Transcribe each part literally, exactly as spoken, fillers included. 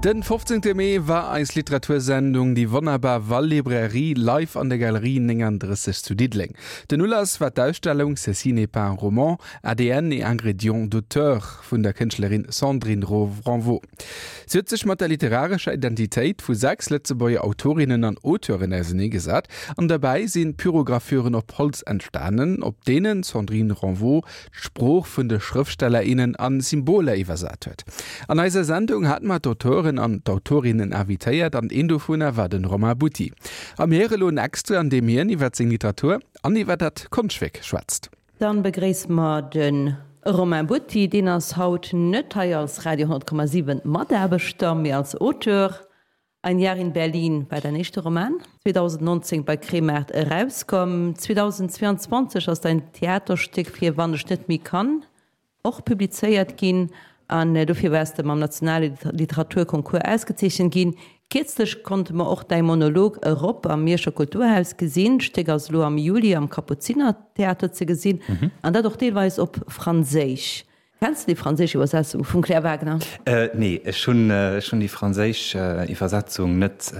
Den fofzéngte Mee war eis Literatursendung Déi wonnerbar Wall-Librairie live an der Galerie nénganddrësseg zu Diddeleng. Den Ulass war d'Ausstellung Ceci n'est pas un roman, A D N et ingrédients d'auteur vun der Kënschtlerin Sandrine Renvaux. Si huet sech mat der literarescher Identitéit vu sechs Lëtzebuerger Autorinnen an Auteuren auserneegesat an derbäi sinn Pyrogravüren op Holz entstanen, op deenen d'Sandrine Renvaux d'Sprooch vun de Schrëftsteller, innen a Symboler iwwersat huet. An eiser Sendung hate mer d'Auteuren an d'Autorinnen invitéiert an een dovunner war den Romain Butti. A mir héiere elo en Extrait, an deem hien iwwer seng Literatur an iwwer dat Konschtwierk schwätzt. Dann begréisse mer de Romain Butti, deen ass haut net hei als Radio honnert Komma siwen Mataarbechter, mee als Auteur. Ein Jahr in Berlin war däin éischte Roman, zweedausendnonzéng bei Kremart erauskomm. zweedausendzweeanzwanzeg ass däin Theaterstéck Fir wann ech net méi kann och publizéiert ginn an dofir waars de mam nationale Literaturconcours ausgezeechent ginn. Kierzlech konnte mer och däi Monolog Erop am Mierscher Kulturhaus gesinn. D'Stéck ass elo am Juli am Kapuzinertheater ze gesinn an dat och deelweis op Franséisch. Kenns de déi franséisch Iwwersetzung vum Claire Wagner? Nee, ech hunn déi franséisch Iwwersetzung net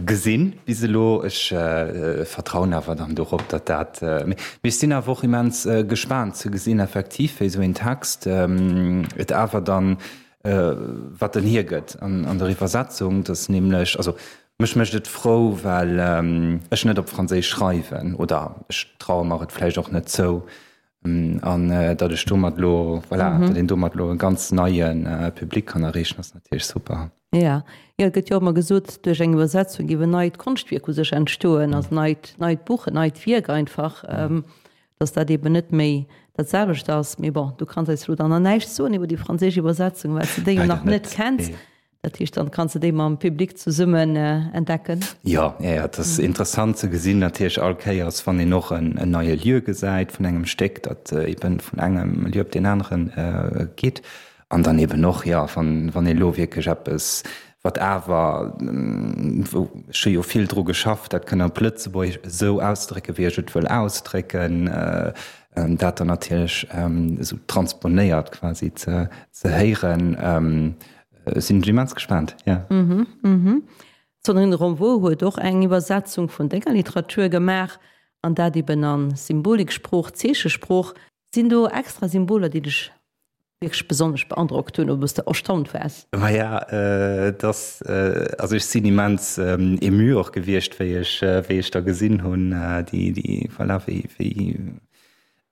gesinn bis elo. Ech vertrauen awer dann dorop, datt dat. Mee ech sinn awer och immens gespaant ze gesinn effektiv, wéi esou een Text et awer dann, wat en hiergëtt an der Iwwersetzung. Dass nämlech, also mech mécht et frou, well ech net op Franséisch schreiwen oder ech traue mer et vläicht och net zou, an datt ech domat elo, voilà, datt een domat elo e ganz neie Public kann erreechen, ass natierlech super. Jo, jo, et gëtt jo och ëmmer gesot, duerch eng Iwwersetzung géif en neit Konschtwierk u sech entstoen, also en neit, neit Buch, en neit Wierk einfach, datt dat eben net méi dat selwecht ass. Mee bon, du kanns eis elo dann nach näischt soen iwwer déi franséisch Iwwersetzung, well s de déi jo nach net kenns. Dat heescht, dann kanns de déi mam Public zesummen entdecken. Jo, jo, jo, et ass interessant ze gesinn natierlech all Kéiers, wann een och en neie Lieu gesäit vun engem Stéck, dat eben vun engem Lieu op deen anere geet. An dann eben och, jo, wann, wann ee lo wierklech eppes, wat awer, wou ech hu jo vill dru geschafft, dat kënne op Lëtzebuergesch esou ausdrécken, wéi ech et wëll ausdrécken, dat dann natierlech esou transponéiert quasi ze, ze héieren. Sinn ech immens gespaant, jo. D'Sandrine Renvaux huet och eng Iwwersetzung vun denger Literatur gemaach, an dat eben a Symboliksprooch, Zeechesprooch. Sinn do extra Symboler, déi dech wierklech besonnesch beandrockt hunn oder wou s de erstaunt waars? Maja, et ass, also ech sinn immens ému och gewiescht, wéi ech, wéi ech da gesinn hunn, déi, déi, voilà, wéi, wéi,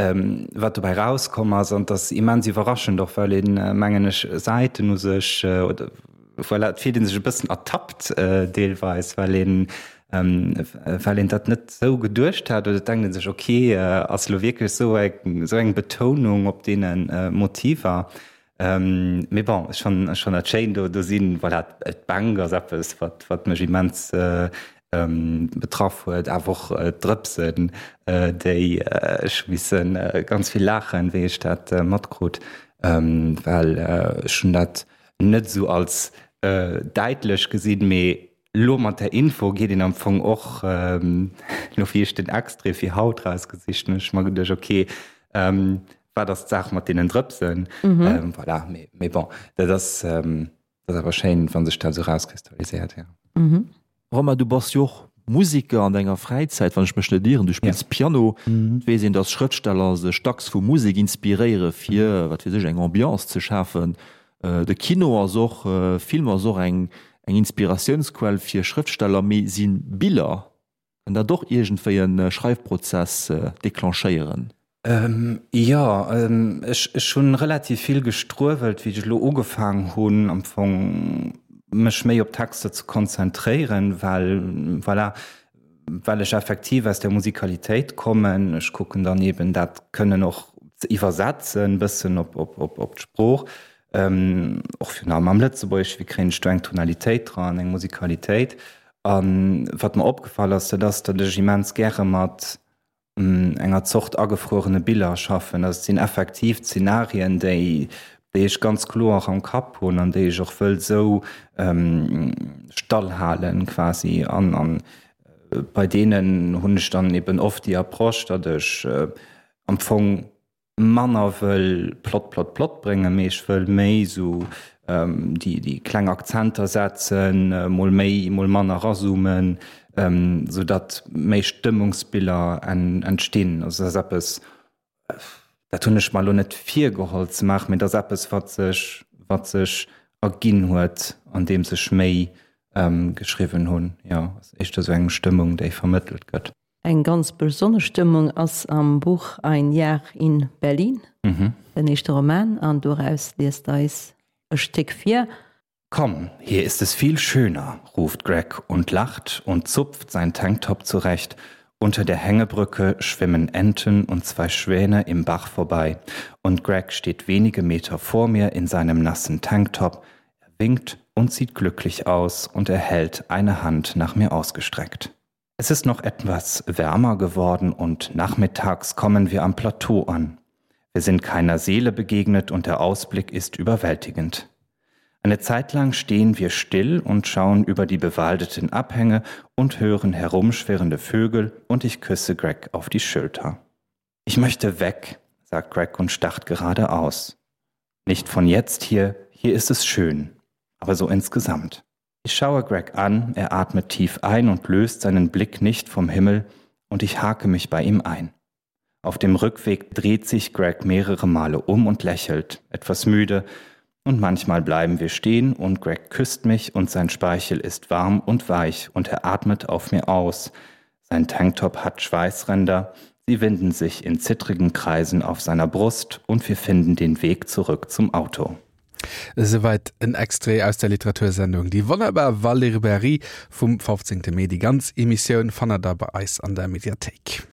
wat dobäi rauskomm ass. An et ass immens iwwerraschend och, well een, mengen ech, Säiten u sech, oder voilà, et fillt ee sech e bëssen ertappt deelweis, well een, well een dat net esou geduecht hat. Oder et denkt ee sech, okay, ass elo wierklech esou eng, esou eng Betounung op deene Motiver? Mee bon, ech fannen, ech fannen dat schéin. Do, do sinn, voilà, d'Bänk ass eppes, wat, wat mech immens betraff huet, awer och d'Drëpsen, déi ech hu misse ganz vill laachen, wéi ech dat matkrut, well ech hunn dat net esou als däitlech gesinn, mee elo mat där Info geet een am Fong och, elo wéi ech den Extrait fir haut rausgesicht hunn, hunn ech mer geduecht, ok, wat ass d'Saach mat deenen Drëpsen? Voilà, mee bon, dat ass awer schéin, wa sech dat esou rauskristalliséiert, jo. Romain, du bass jo och Museker an denger Fräizäit, wann ech mech net ieren. Du spills Piano. Et weess een, datt Schrëftsteller sech dacks vu Musek inspiréiere fir, wat weess ech, eng Ambiance ze schafen. De Kino ass och, Film ass och eng Inspiratiounsquell fir Schrëftsteller. Mee si Biller, kënnen dat och iergendwéi e Schreifprozess declenchéieren? Jo, ech hunn relativ vill gestruewelt, wéi ech elo ugefaang hunn am Fong mech méi op Texter ze konzentréieren, well voilà, well ech effektiv aus der Musikalitéit kommen. Ech kucken dann eben dat kënnen och ze iwwersetzen bëssen op op d'Sprooch, och virun allem am Lëtzebuergesch, wéi kréien ech do eng Tonalitéit dran, eng Musikalitéit. A wat mer opgefall ass, dat ass, datt ech immens gäre mat enger Zort agefruerene Biller schaffen. Also et sinn effektiv Zenarien, déi déi ech ganz kloer am Kapp hunn an déi ech och wëll esou stallhalen quasi. An an bei deenen hunn ech dann eben oft déi Approche, datt ech am Fong manner wëll Plot Plot Plot bréngen, mee ech wëll méi esou déi déi kleng Akzenter setzen, mol méi, mol manner erazoomen, sou datt méi Stëmmungsbiller entstinn. Also dat ass eppes, dat hunn ech mer elo net virgeholl ze maachen, mee dat ass eppes, wat sech wat sech erginn huet, andeems ech méi geschriwwen hunn. Jo, ass éischter esou eng Stëmmung, déi vermëttelt gëtt. Eng ganz besonnesch Stëmmung ass am Buch Ein Jahr in Berlin, den éischte Roman, an doraus liest eis e Stéck vir. Komm, hier ist es viel schöner, ruft Greg und lacht und zupft sein Tanktop zurecht. Unter der Hängebrücke schwimmen Enten und zwei Schwäne im Bach vorbei und Greg steht wenige Meter vor mir in seinem nassen Tanktop. Er winkt und sieht glücklich aus und er hält eine Hand nach mir ausgestreckt. Es ist noch etwas wärmer geworden und nachmittags kommen wir am Plateau an. Wir sind keiner Seele begegnet und der Ausblick ist überwältigend. Eine Zeit lang stehen wir still und schauen über die bewaldeten Abhänge und hören herumschwirrende Vögel und ich küsse Greg auf die Schulter. Ich möchte weg, sagt Greg und starrt geradeaus. Nicht von jetzt hier, hier ist es schön, aber so insgesamt. Ich schaue Greg an, er atmet tief ein und löst seinen Blick nicht vom Himmel und ich hake mich bei ihm ein. Auf dem Rückweg dreht sich Greg mehrere Male um und lächelt, etwas müde, und manchmal bleiben wir stehen und Greg küsst mich und sein Speichel ist warm und weich und er atmet auf mir aus. Sein Tanktop hat Schweißränder, sie winden sich in zittrigen Kreisen auf seiner Brust und wir finden den Weg zurück zum Auto. Esouwäit en Extrait aus der Literatursendung Die wonnerbar Wallibrairie vum fofzéngte Mee. Déi ganz Emissioun fannt der bei eis an der Mediathéik.